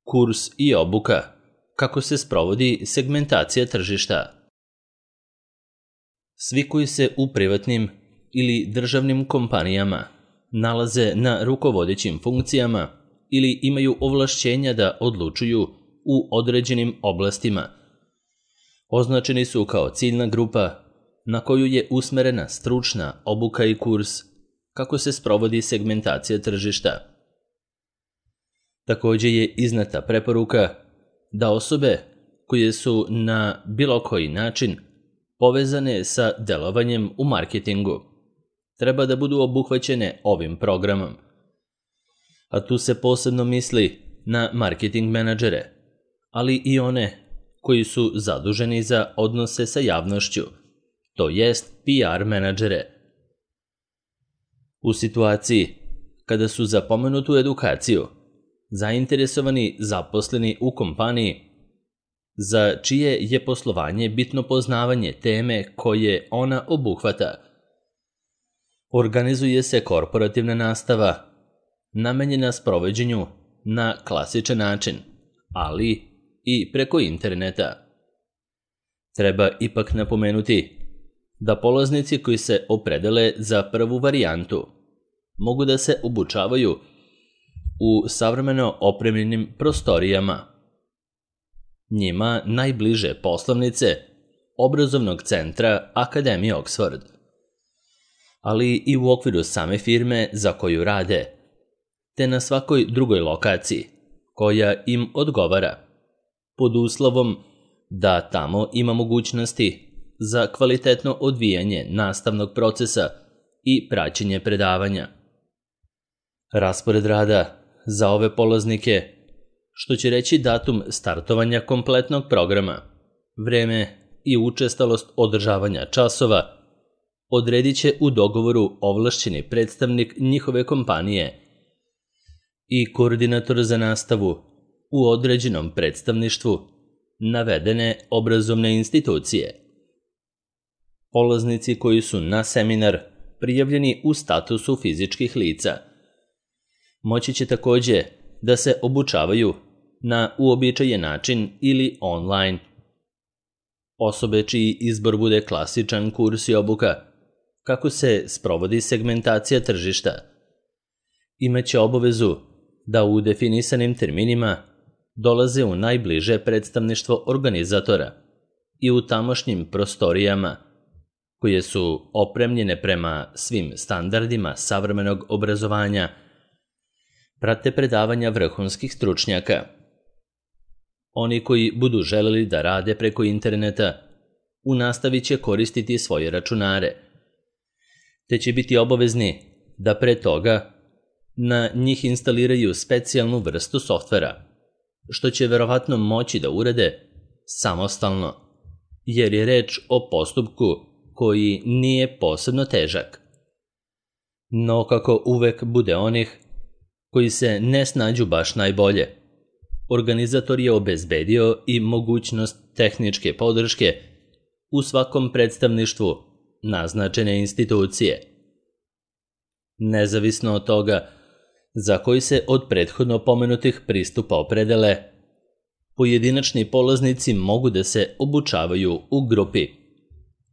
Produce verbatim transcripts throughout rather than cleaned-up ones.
kurs i obuka, kako se sprovodi segmentacija tržišta. Svi koji se u privatnim ili državnim kompanijama nalaze na rukovodećim funkcijama ili imaju ovlašćenja da odlučuju u određenim oblastima, označeni su kao ciljna grupa na koju je usmerena stručna obuka i kurs kako se sprovodi segmentacija tržišta. Također je izneta preporuka da osobe koje su na bilo koji način povezane sa delovanjem u marketingu treba da budu obuhvaćene ovim programom. A tu se posebno misli na marketing menadžere, ali i one koji su zaduženi za odnose sa javnošću, to jest P R menadžere. U situaciji kada su za pomenutu edukaciju zainteresovani zaposleni u kompaniji za čije je poslovanje bitno poznavanje teme koje ona obuhvata, organizuje se korporativna nastava namenjena sprovođenju na klasičan način, ali i preko interneta. Treba ipak napomenuti da polaznici koji se opredele za prvu varijantu mogu da se obučavaju u savremeno opremljenim prostorijama. Njima najbliže poslovnice obrazovnog centra Akademije Oxford, ali i u okviru same firme za koju rade, te na svakoj drugoj lokaciji koja im odgovara, pod uslovom da tamo ima mogućnosti za kvalitetno odvijanje nastavnog procesa i praćenje predavanja. Raspored rada za ove polaznike, što će reći datum startovanja kompletnog programa, vreme i učestalost održavanja časova, odredit će u dogovoru ovlašćeni predstavnik njihove kompanije i koordinator za nastavu u određenom predstavništvu navedene obrazovne institucije. Polaznici koji su na seminar prijavljeni u statusu fizičkih lica moći će također da se obučavaju na uobičajen način ili online. Osobe čiji izbor bude klasičan kurs i obuka, kako se sprovodi segmentacija tržišta, imaće obavezu da u definisanim terminima dolaze u najbliže predstavništvo organizatora i u tamošnjim prostorijama, koje su opremljene prema svim standardima savremenog obrazovanja, prate predavanja vrhunskih stručnjaka. Oni koji budu želeli da rade preko interneta, u nastavi će koristiti svoje računare, te će biti obavezni da pre toga na njih instaliraju specijalnu vrstu softvera, što će verovatno moći da urade samostalno, jer je reč o postupku koji nije posebno težak. No kako uvek bude onih koji se ne snađu baš najbolje, organizator je obezbedio i mogućnost tehničke podrške u svakom predstavništvu naznačene institucije. Nezavisno od toga za koji se od prethodno pomenutih pristupa opredele, pojedinačni polaznici mogu da se obučavaju u grupi,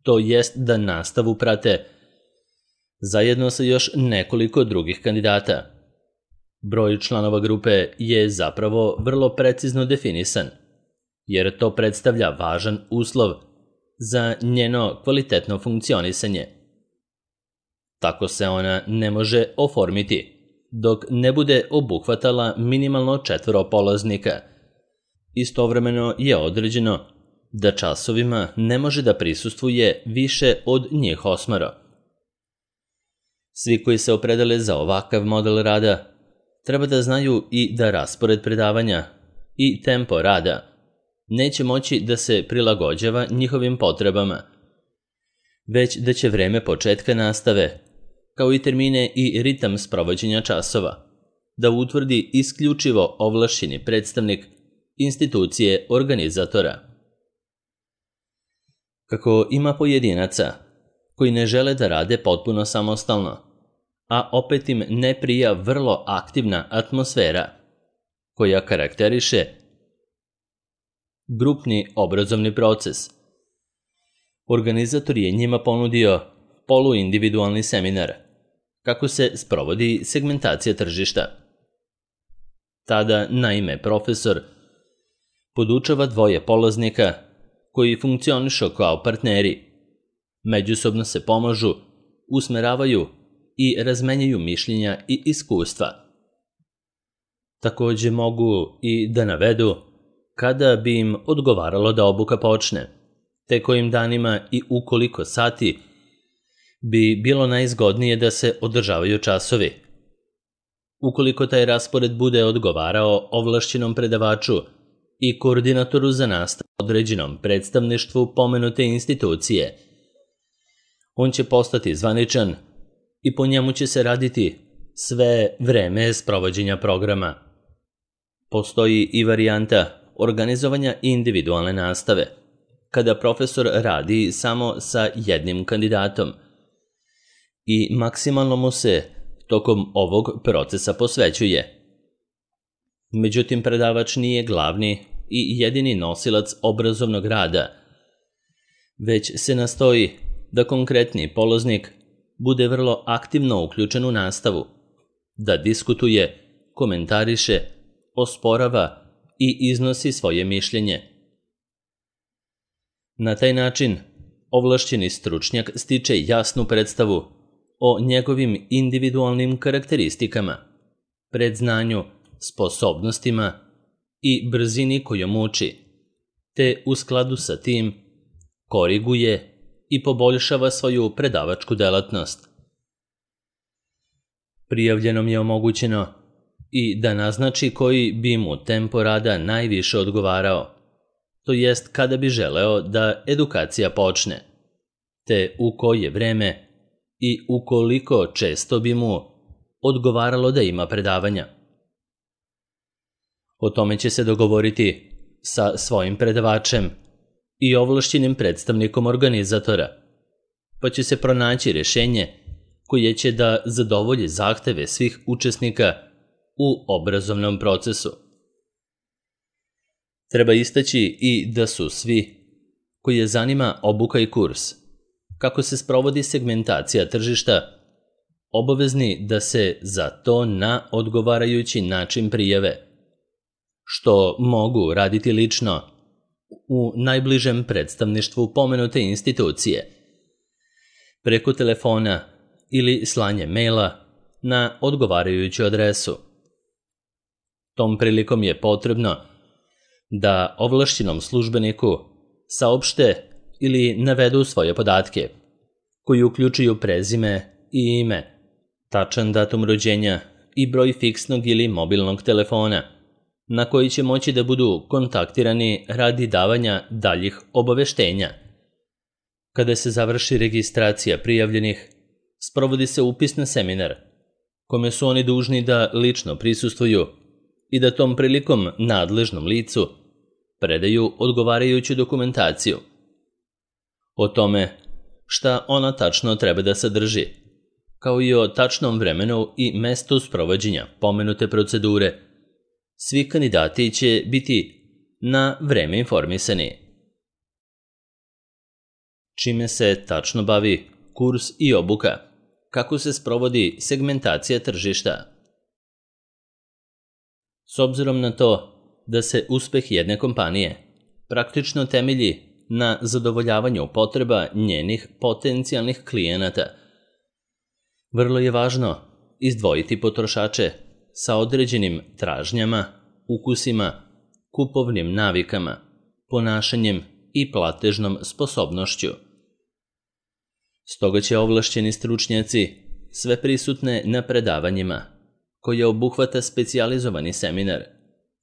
to jest da nastavu prate zajedno sa još nekoliko drugih kandidata. Broj članova grupe je zapravo vrlo precizno definisan, jer to predstavlja važan uslov za njeno kvalitetno funkcionisanje. Tako se ona ne može oformiti dok ne bude obuhvatala minimalno četvoro polaznika. Istovremeno je određeno da časovima ne može da prisustvuje više od njih osmoro. Svi koji se opredele za ovakav model rada treba da znaju i da raspored predavanja i tempo rada neće moći da se prilagođava njihovim potrebama, već da će vreme početka nastave, kao i termine i ritam sprovođenja časova, da utvrdi isključivo ovlašćeni predstavnik institucije organizatora. Kako ima pojedinaca koji ne žele da rade potpuno samostalno, a opet im ne prija vrlo aktivna atmosfera, koja karakteriše grupni obrazovni proces. Organizator je njima ponudio poluindividualni seminar, kako se sprovodi segmentacija tržišta. Tada, naime, profesor podučava dvoje polaznika koji funkcionišu kao partneri, međusobno se pomažu, usmeravaju i razmenjuju mišljenja i iskustva. Takođe mogu i da navedu kada bi im odgovaralo da obuka počne, te kojim danima i u koliko sati bi bilo najzgodnije da se održavaju časovi. Ukoliko taj raspored bude odgovarao ovlašćenom predavaču i koordinatoru za nastavu određenom predstavništvu pomenute institucije, on će postati zvaničan i po njemu će se raditi sve vreme sprovođenja programa. Postoji i varijanta organizovanja individualne nastave, kada profesor radi samo sa jednim kandidatom i maksimalno mu se tokom ovog procesa posvećuje. Međutim, predavač nije glavni i jedini nosilac obrazovnog rada, već se nastoji da konkretni polaznik bude vrlo aktivno uključen u nastavu, da diskutuje, komentariše, osporava i iznosi svoje mišljenje. Na taj način, ovlašćeni stručnjak stiče jasnu predstavu o njegovim individualnim karakteristikama, predznanju, sposobnostima i brzini kojom uči, te u skladu sa tim koriguje i poboljšava svoju predavačku delatnost. Prijavljenom je omogućeno i da naznači koji bi mu tempo rada najviše odgovarao, to jest kada bi želeo da edukacija počne, te u koje vreme i ukoliko često bi mu odgovaralo da ima predavanja. O tome će se dogovoriti sa svojim predavačem i ovlašćenim predstavnikom organizatora, pa će se pronaći rešenje koje će da zadovolji zahteve svih učesnika u obrazovnom procesu. Treba istaći i da su svi koje zanima obuka i kurs, kako se sprovodi segmentacija tržišta, obavezni da se za to na odgovarajući način prijave, što mogu raditi lično u najbližem predstavništvu pomenute institucije, preko telefona ili slanje maila na odgovarajuću adresu. Tom prilikom je potrebno da ovlašćenom službeniku saopšte ili navedu svoje podatke, koji uključuju prezime i ime, tačan datum rođenja i broj fiksnog ili mobilnog telefona, na koji će moći da budu kontaktirani radi davanja daljih obaveštenja. Kada se završi registracija prijavljenih, sprovodi se upis na seminar, kome su oni dužni da lično prisustvuju i da tom prilikom nadležnom licu predaju odgovarajuću dokumentaciju o tome šta ona tačno treba da sadrži, kao i o tačnom vremenu i mestu sprovođenja pomenute procedure. Svi kandidati će biti na vreme informisani. Čime se tačno bavi kurs i obuka, kako se sprovodi segmentacija tržišta. S obzirom na to da se uspeh jedne kompanije praktično temelji na zadovoljavanju potreba njenih potencijalnih klijenata, vrlo je važno izdvojiti potrošače sa određenim tražnjama, ukusima, kupovnim navikama, ponašanjem i platežnom sposobnošću. Stoga će ovlašćeni stručnjaci sve prisutne na predavanjima, koje obuhvata specijalizovani seminar,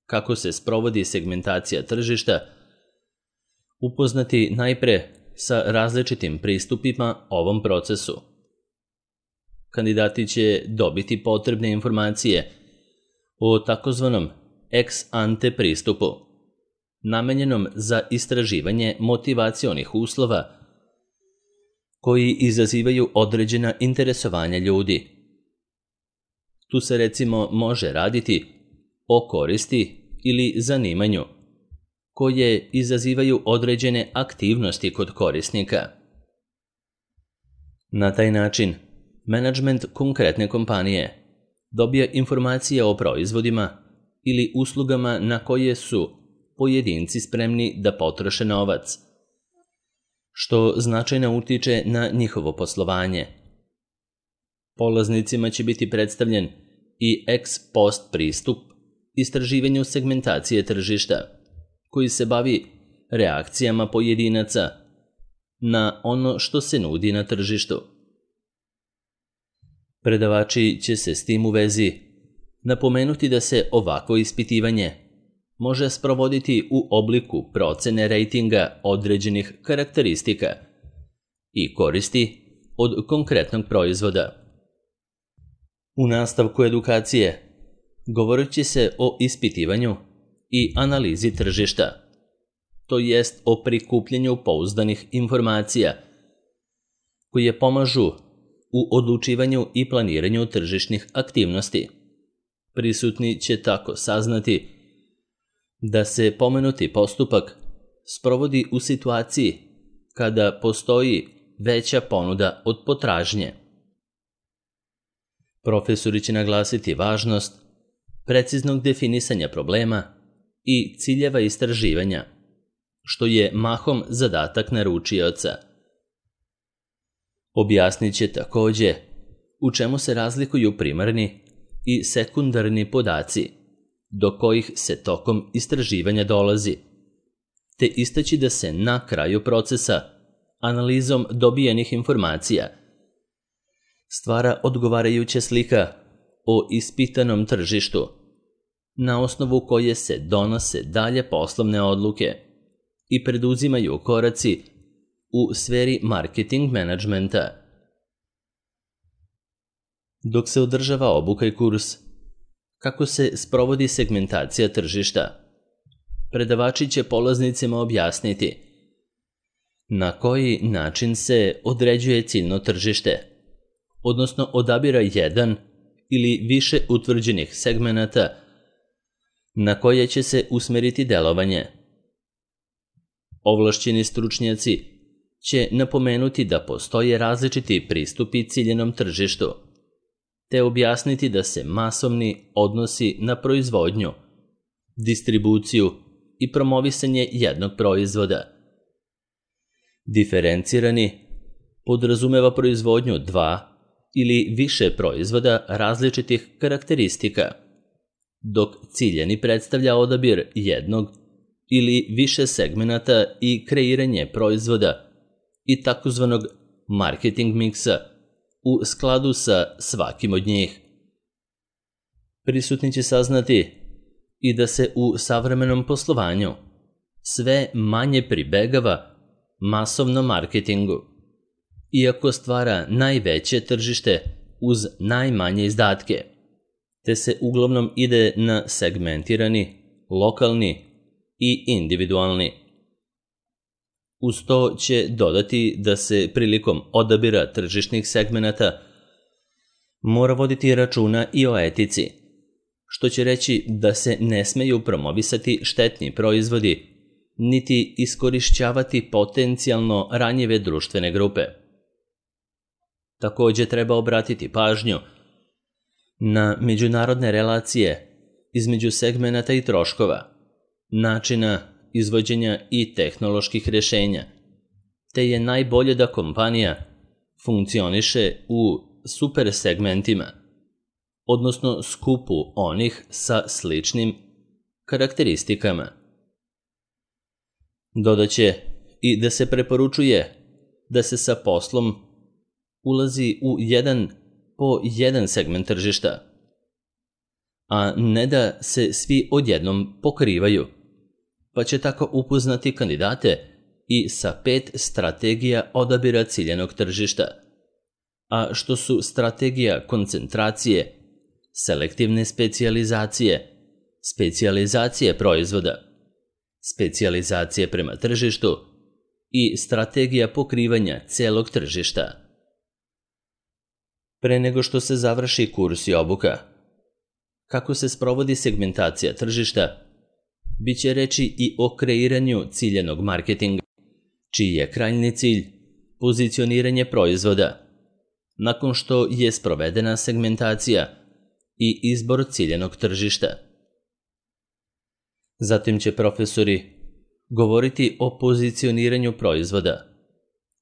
kako se sprovodi segmentacija tržišta, upoznati najpre sa različitim pristupima ovom procesu. Kandidati će dobiti potrebne informacije o takozvanom ex ante pristupu, namenjenom za istraživanje motivacionih uslova koji izazivaju određena interesovanja ljudi. Tu se recimo može raditi o koristi ili zanimanju koje izazivaju određene aktivnosti kod korisnika. Na taj način, menadžment konkretne kompanije dobija informacije o proizvodima ili uslugama na koje su pojedinci spremni da potroše novac, što značajno utiče na njihovo poslovanje. Polaznicima će biti predstavljen i ex post pristup istraživanju segmentacije tržišta, koji se bavi reakcijama pojedinaca na ono što se nudi na tržištu. Predavači će se s tim u vezi napomenuti da se ovakvo ispitivanje može sprovoditi u obliku procene rejtinga određenih karakteristika i koristi od konkretnog proizvoda. U nastavku edukacije govorit će se o ispitivanju i analizi tržišta, to jest o prikupljanju pouzdanih informacija koje pomažu u odlučivanju i planiranju tržišnih aktivnosti. Prisutni će tako saznati da se pomenuti postupak sprovodi u situaciji kada postoji veća ponuda od potražnje. Profesori će naglasiti važnost preciznog definisanja problema i ciljeva istraživanja, što je mahom zadatak naručioca. Objasnit će takođe u čemu se razlikuju primarni i sekundarni podaci do kojih se tokom istraživanja dolazi, te istaći da se na kraju procesa analizom dobijenih informacija stvara odgovarajuća slika o ispitanom tržištu, na osnovu koje se donose dalje poslovne odluke i preduzimaju koraci u sferi marketing menadžmenta. Dok se održava obuka i kurs kako se sprovodi segmentacija tržišta, predavači će polaznicima objasniti na koji način se određuje ciljno tržište, odnosno odabira jedan ili više utvrđenih segmenata na koje će se usmeriti delovanje. Ovlašćeni stručnjaci će napomenuti da postoje različiti pristupi ciljenom tržištu, te objasniti da se masovni odnosi na proizvodnju, distribuciju i promovisanje jednog proizvoda. Diferencirani podrazumeva proizvodnju dva ili više proizvoda različitih karakteristika, dok ciljani predstavlja odabir jednog ili više segmenata i kreiranje proizvoda i takozvanog marketing miksa u skladu sa svakim od njih. Prisutni će saznati i da se u savremenom poslovanju sve manje pribegava masovnom marketingu, iako stvara najveće tržište uz najmanje izdatke, te se uglavnom ide na segmentirani, lokalni i individualni. Uz to će dodati da se prilikom odabira tržišnih segmenata mora voditi računa i o etici, što će reći da se ne smeju promovisati štetni proizvodi, niti iskorišćavati potencijalno ranjive društvene grupe. Takođe treba obratiti pažnju na međunarodne relacije između segmenata i troškova, načina izvođenja i tehnoloških rešenja, te je najbolje da kompanija funkcioniše u super segmentima, odnosno skupu onih sa sličnim karakteristikama. Dodaće i da se preporučuje da se sa poslom ulazi u jedan po jedan segment tržišta, a ne da se svi odjednom pokrivaju, pa će tako upoznati kandidate i sa pet strategija odabira ciljenog tržišta, a što su strategija koncentracije, selektivne specijalizacije, specijalizacije proizvoda, specijalizacije prema tržištu i strategija pokrivanja celog tržišta. Pre nego što se završi kurs i obuka, kako se sprovodi segmentacija tržišta, bit će reći i o kreiranju ciljanog marketinga, čiji je krajnji cilj pozicioniranje proizvoda, nakon što je sprovedena segmentacija i izbor ciljanog tržišta. Zatim će profesori govoriti o pozicioniranju proizvoda,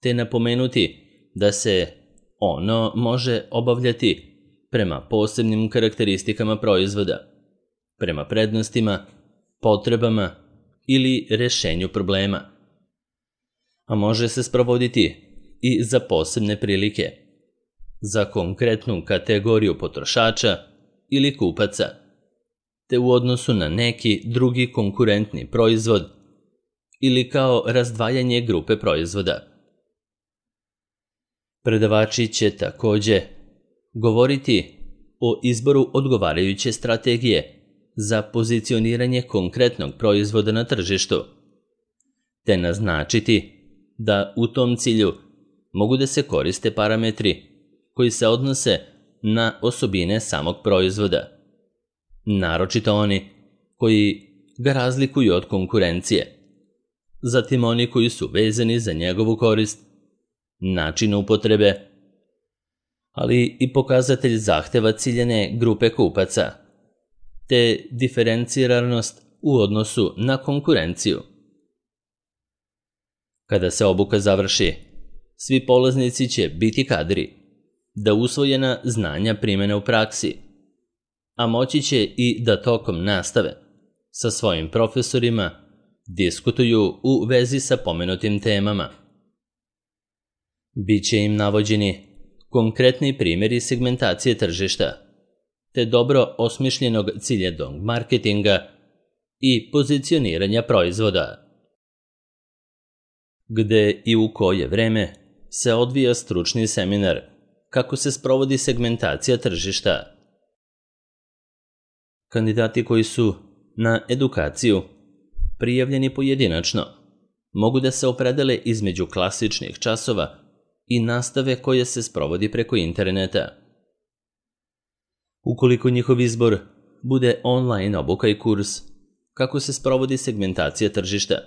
te napomenuti da se ono može obavljati prema posebnim karakteristikama proizvoda, prema prednostima, potrebama ili rešenju problema, a može se sprovoditi i za posebne prilike, za konkretnu kategoriju potrošača ili kupaca, te u odnosu na neki drugi konkurentni proizvod ili kao razdvajanje grupe proizvoda. Predavači će takođe govoriti o izboru odgovarajuće strategije za pozicioniranje konkretnog proizvoda na tržištu, te naznačiti da u tom cilju mogu da se koriste parametri koji se odnose na osobine samog proizvoda, naročito oni koji ga razlikuju od konkurencije, zatim oni koji su vezani za njegovu korist, način upotrebe, ali i pokazatelj zahteva ciljane grupe kupaca, te diferenciranost u odnosu na konkurenciju. Kada se obuka završi, svi polaznici će biti kadri da usvojena znanja primene u praksi, a moći će i da tokom nastave sa svojim profesorima diskutuju u vezi sa pomenutim temama. Biće im navođeni konkretni primjeri segmentacije tržišta, te dobro osmišljenog ciljanog marketinga i pozicioniranja proizvoda. Gde i u koje vreme se odvija stručni seminar kako se sprovodi segmentacija tržišta. Kandidati koji su na edukaciju prijavljeni pojedinačno mogu da se opredele između klasičnih časova i nastave koja se sprovodi preko interneta. Ukoliko njihov izbor bude online obuka i kurs kako se sprovodi segmentacija tržišta,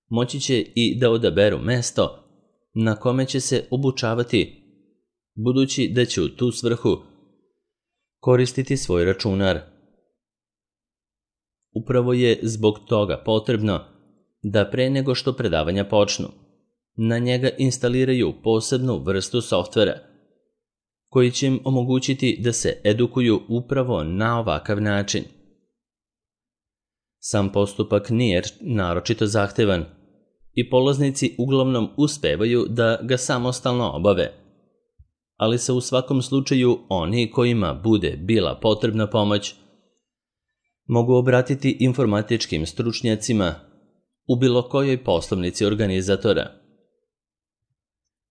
moći će i da odaberu mesto na kome će se obučavati, budući da će u tu svrhu koristiti svoj računar. Upravo je zbog toga potrebno da pre nego što predavanja počnu, na njega instaliraju posebnu vrstu softvera, koji će im omogućiti da se edukuju upravo na ovakav način. Sam postupak nije naročito zahtevan i polaznici uglavnom uspevaju da ga samostalno obave, ali se u svakom slučaju oni kojima bude bila potrebna pomoć mogu obratiti informatičkim stručnjacima u bilo kojoj poslovnici organizatora.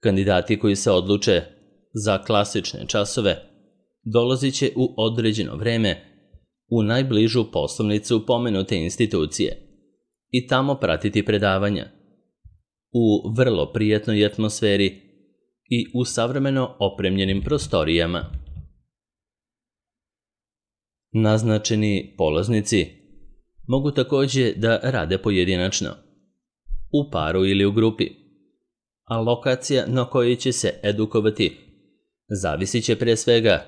Kandidati koji se odluče za klasične časove dolazit će u određeno vreme u najbližu poslovnicu pomenute institucije i tamo pratiti predavanja u vrlo prijatnoj atmosferi i u savremeno opremljenim prostorijama. Naznačeni polaznici mogu takođe da rade pojedinačno, u paru ili u grupi, a lokacija na kojoj će se edukovati zavisit će pre svega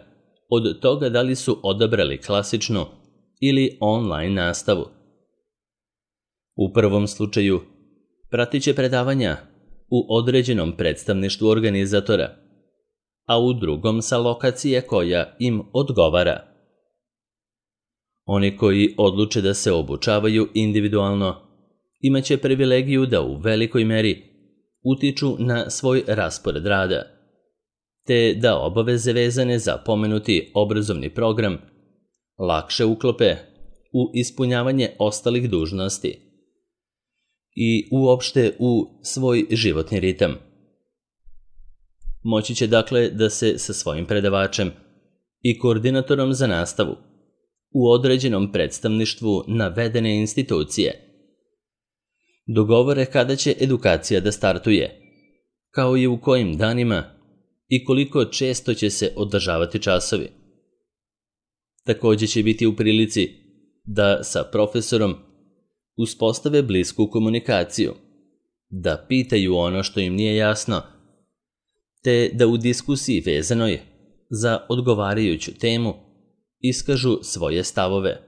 od toga da li su odabrali klasičnu ili online nastavu. U prvom slučaju pratit će predavanja u određenom predstavništvu organizatora, a u drugom sa lokacije koja im odgovara. Oni koji odluče da se obučavaju individualno imaće privilegiju da u velikoj meri utiču na svoj raspored rada, te da obaveze vezane za pomenuti obrazovni program lakše uklope u ispunjavanje ostalih dužnosti i uopšte u svoj životni ritam. Moći će dakle da se sa svojim predavačem i koordinatorom za nastavu u određenom predstavništvu navedene institucije dogovore kada će edukacija da startuje, kao i u kojim danima i koliko često će se održavati časovi. Također će biti u prilici da sa profesorom uspostave blisku komunikaciju, da pitaju ono što im nije jasno, te da u diskusiji vezanoj za odgovarajuću temu iskažu svoje stavove.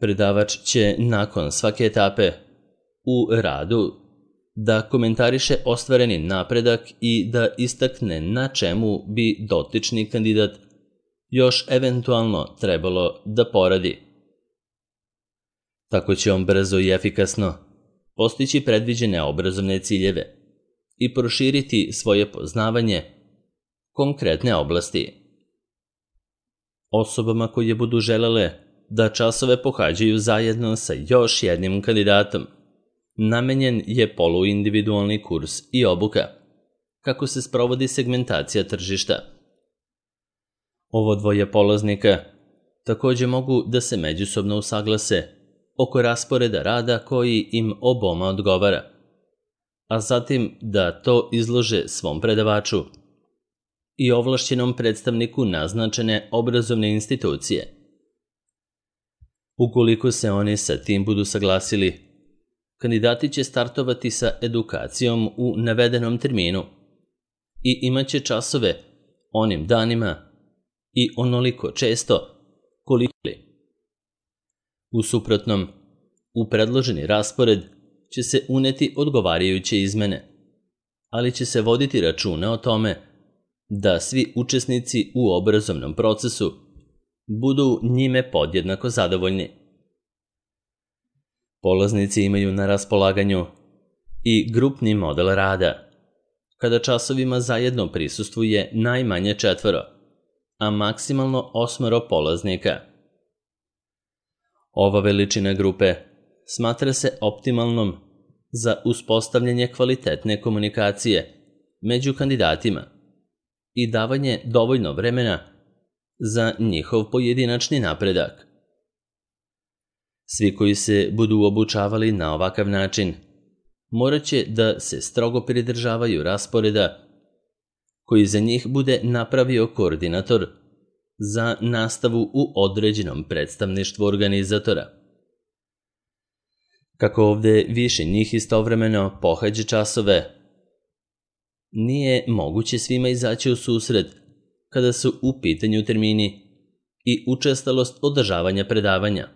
Predavač će nakon svake etape u radu da komentariše ostvareni napredak i da istakne na čemu bi dotični kandidat još eventualno trebalo da poradi. Tako će on brzo i efikasno postići predviđene obrazovne ciljeve i proširiti svoje poznavanje konkretne oblasti. Osobama koje budu želele da časove pohađaju zajedno sa još jednim kandidatom, namenjen je poluindividualni kurs i obuka, kako se sprovodi segmentacija tržišta. Ovo dvoje polaznika također mogu da se međusobno usaglase oko rasporeda rada koji im oboma odgovara, a zatim da to izlože svom predavaču i ovlašćenom predstavniku naznačene obrazovne institucije. Ukoliko se oni sa tim budu saglasili, kandidati će startovati sa edukacijom u navedenom terminu i imaće časove onim danima i onoliko često koliko li. U suprotnom, u predloženi raspored će se uneti odgovarajuće izmene, ali će se voditi računa o tome da svi učesnici u obrazovnom procesu budu njime podjednako zadovoljni. Polaznici imaju na raspolaganju i grupni model rada, kada časovima zajedno prisustvuje najmanje četvoro, a maksimalno osmoro polaznika. Ova veličina grupe smatra se optimalnom za uspostavljanje kvalitetne komunikacije među kandidatima i davanje dovoljno vremena za njihov pojedinačni napredak. Svi koji se budu obučavali na ovakav način morat će da se strogo pridržavaju rasporeda koji za njih bude napravio koordinator za nastavu u određenom predstavništvu organizatora. Kako ovdje više njih istovremeno pohađa časove, nije moguće svima izaći u susret kada su u pitanju termini i učestalost održavanja predavanja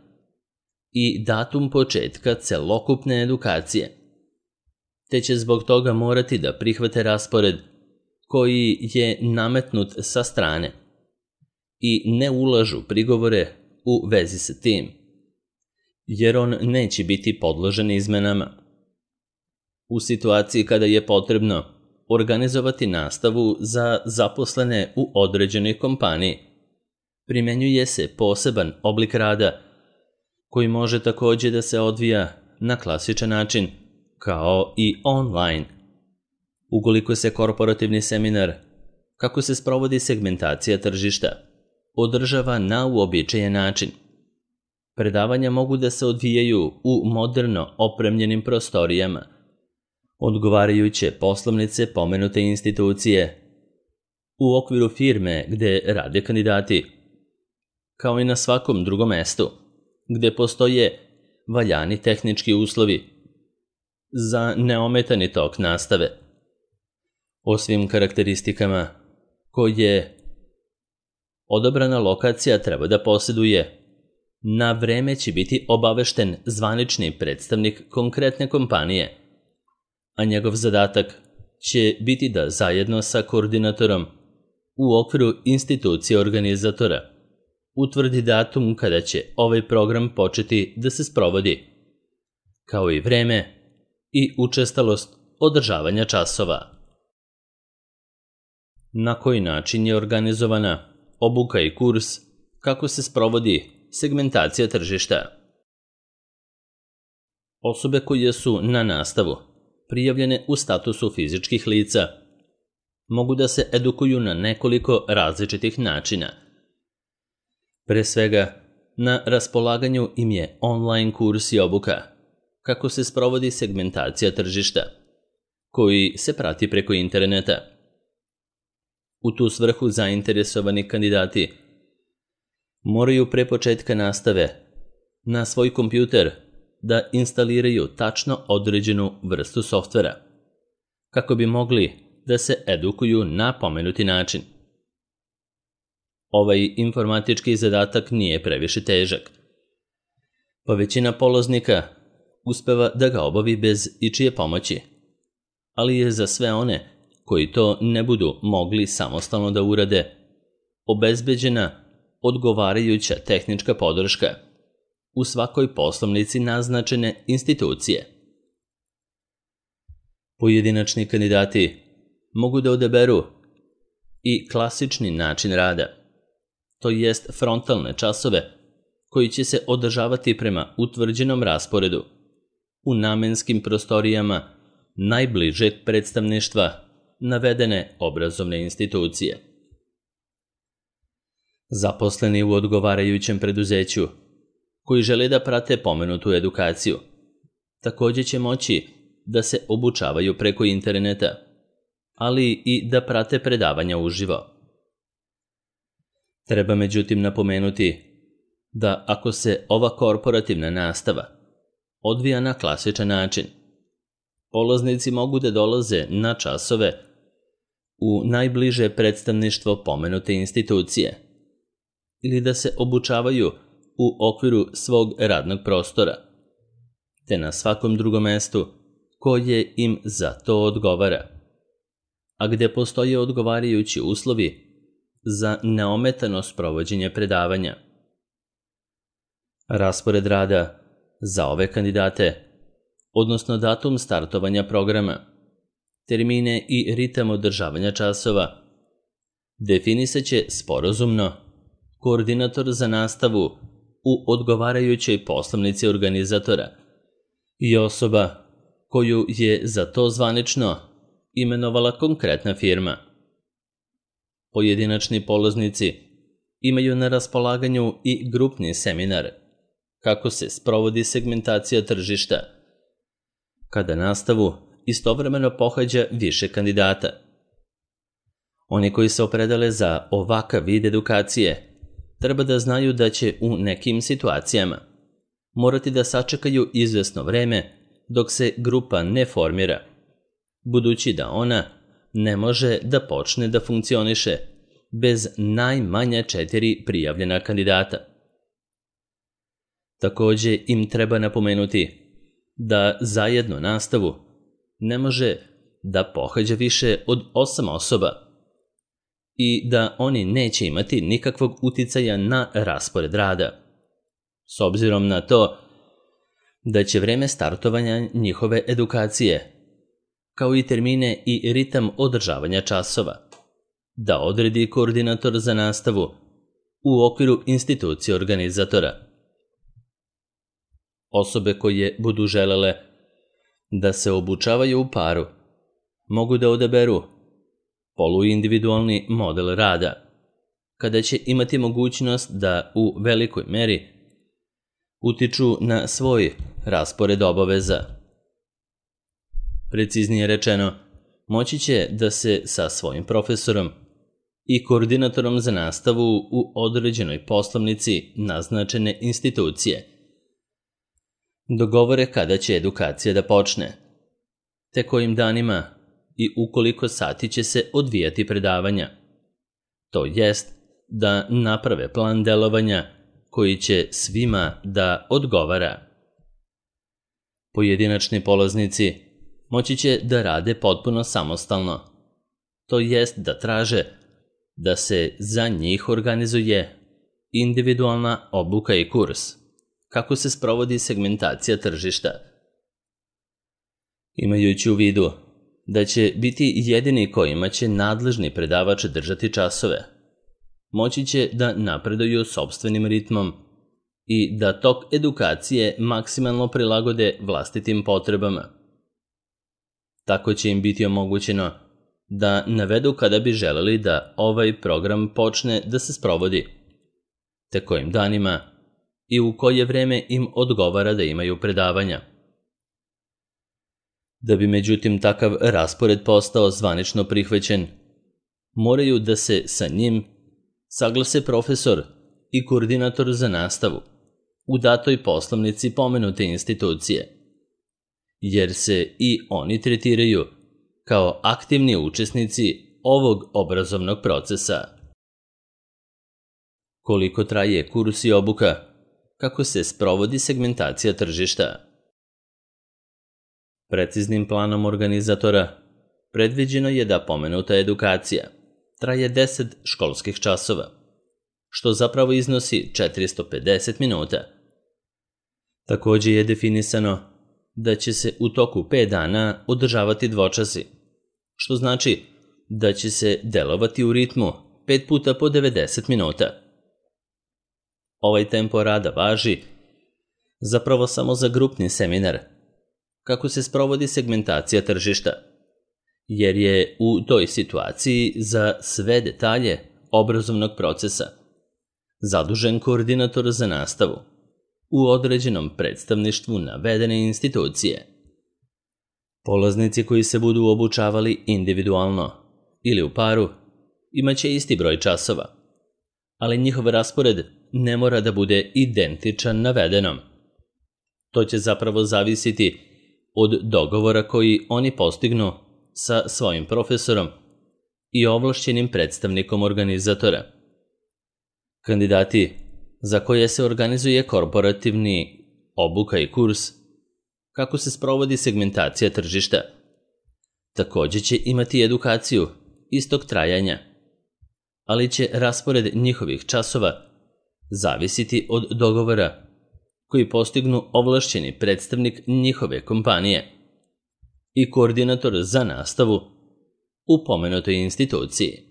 i datum početka celokupne edukacije, te će zbog toga morati da prihvate raspored koji je nametnut sa strane i ne ulažu prigovore u vezi sa tim, jer on neće biti podložen izmenama. U situaciji kada je potrebno organizovati nastavu za zaposlene u određenoj kompaniji, primenjuje se poseban oblik rada koji može također da se odvija na klasičan način, kao i online. Ukoliko se korporativni seminar, kako se sprovodi segmentacija tržišta, održava na uobičajen način, predavanja mogu da se odvijaju u moderno opremljenim prostorijama, odgovarajuće poslovnice pomenute institucije, u okviru firme gde rade kandidati, kao i na svakom drugom mestu, gde postoje valjani tehnički uslovi za neometani tok nastave. O svim karakteristikama koje odabrana lokacija treba da posjeduje, na vreme će biti obavešten zvanični predstavnik konkretne kompanije, a njegov zadatak će biti da zajedno sa koordinatorom u okviru institucije organizatora utvrdi datum kada će ovaj program početi da se sprovodi, kao i vreme i učestalost održavanja časova. Na koji način je organizovana obuka i kurs, kako se sprovodi segmentacija tržišta. Osobe koje su na nastavu prijavljene u statusu fizičkih lica mogu da se edukuju na nekoliko različitih načina. Pre svega, na raspolaganju im je online kurs i obuka, kako se sprovodi segmentacija tržišta, koji se prati preko interneta. U tu svrhu zainteresovani kandidati Moraju pre početka nastave na svoj kompjuter da instaliraju tačno određenu vrstu softvera, kako bi mogli da se edukuju na pomenuti način. Ovaj informatički zadatak nije previše težak, pa većina polaznika uspeva da ga obavi bez ičije pomoći, ali je za sve one koji to ne budu mogli samostalno da urade obezbeđena odgovarajuća tehnička podrška u svakoj poslovnici naznačene institucije. Pojedinačni kandidati mogu da odaberu i klasični način rada, to jest frontalne časove koji će se održavati prema utvrđenom rasporedu u namenskim prostorijama najbližeg predstavništva navedene obrazovne institucije. Zaposleni u odgovarajućem preduzeću koji žele da prate pomenutu edukaciju također će moći da se obučavaju preko interneta, ali i da prate predavanja uživo. Treba međutim napomenuti da ako se ova korporativna nastava odvija na klasičan način, polaznici mogu da dolaze na časove u najbliže predstavništvo pomenute institucije ili da se obučavaju u okviru svog radnog prostora, te na svakom drugom mestu koje im za to odgovara, a gde postoje odgovarajući uslovi za neometano sprovođenje predavanja. Raspored rada za ove kandidate, odnosno datum startovanja programa, termine i ritam održavanja časova, definisat će sporazumno koordinator za nastavu u odgovarajućoj poslovnici organizatora i osoba koju je za to zvanično imenovala konkretna firma. Pojedinačni polaznici imaju na raspolaganju i grupni seminar kako se sprovodi segmentacija tržišta, kada nastavu istovremeno pohađa više kandidata. Oni koji se opredele za ovakav vid edukacije treba da znaju da će u nekim situacijama morati da sačekaju izvesno vreme dok se grupa ne formira, budući da ona ne može da počne da funkcioniše bez najmanje četiri prijavljena kandidata. Također im treba napomenuti da zajedno nastavu ne može da pohađa više od osam osoba i da oni neće imati nikakvog uticaja na raspored rada, s obzirom na to da će vreme startovanja njihove edukacije, kao i termine i ritam održavanja časova, da odredi koordinator za nastavu u okviru institucije organizatora. Osobe koje budu želele da se obučavaju u paru mogu da odaberu poluindividualni model rada, kada će imati mogućnost da u velikoj meri utiču na svoj raspored obaveza. Preciznije rečeno, moći će da se sa svojim profesorom i koordinatorom za nastavu u određenoj poslovnici naznačene institucije dogovore kada će edukacija da počne, te kojim danima i ukoliko sati će se odvijati predavanja. To jest da naprave plan delovanja koji će svima da odgovara. Pojedinačni polaznici moći će da rade potpuno samostalno, to jest da traže da se za njih organizuje individualna obuka i kurs, kako se sprovodi segmentacija tržišta. Imajući u vidu da će biti jedini kojima će nadležni predavač držati časove, moći će da napreduju sopstvenim ritmom i da tok edukacije maksimalno prilagode vlastitim potrebama. Tako će im biti omogućeno da navedu kada bi želeli da ovaj program počne da se sprovodi, te kojim danima i u koje vreme im odgovara da imaju predavanja. Da bi međutim takav raspored postao zvanično prihvaćen, moraju da se sa njim saglase profesor i koordinator za nastavu u datoj poslovnici pomenute institucije, jer se i oni tretiraju kao aktivni učesnici ovog obrazovnog procesa. Koliko traje kurs i obuka? Kako se sprovodi segmentacija tržišta? Preciznim planom organizatora predviđeno je da pomenuta edukacija traje deset školskih časova, što zapravo iznosi četiristo pedeset minuta. Također je definisano da će se u toku pet dana održavati dvočasi, što znači da će se delovati u ritmu pet puta po devedeset minuta. Ovaj tempo rada važi zapravo samo za grupni seminar, kako se sprovodi segmentacija tržišta, jer je u toj situaciji za sve detalje obrazovnog procesa zadužen koordinator za nastavu u određenom predstavništvu navedene institucije. Polaznici koji se budu obučavali individualno ili u paru imaće isti broj časova, ali njihov raspored ne mora da bude identičan navedenom. To će zapravo zavisiti od dogovora koji oni postignu sa svojim profesorom i ovlašćenim predstavnikom organizatora. Kandidati za koje se organizuje korporativni obuka i kurs, kako se sprovodi segmentacija tržišta, također će imati edukaciju istog trajanja, ali će raspored njihovih časova zavisiti od dogovora koji postignu ovlašćeni predstavnik njihove kompanije i koordinator za nastavu u pomenutoj instituciji.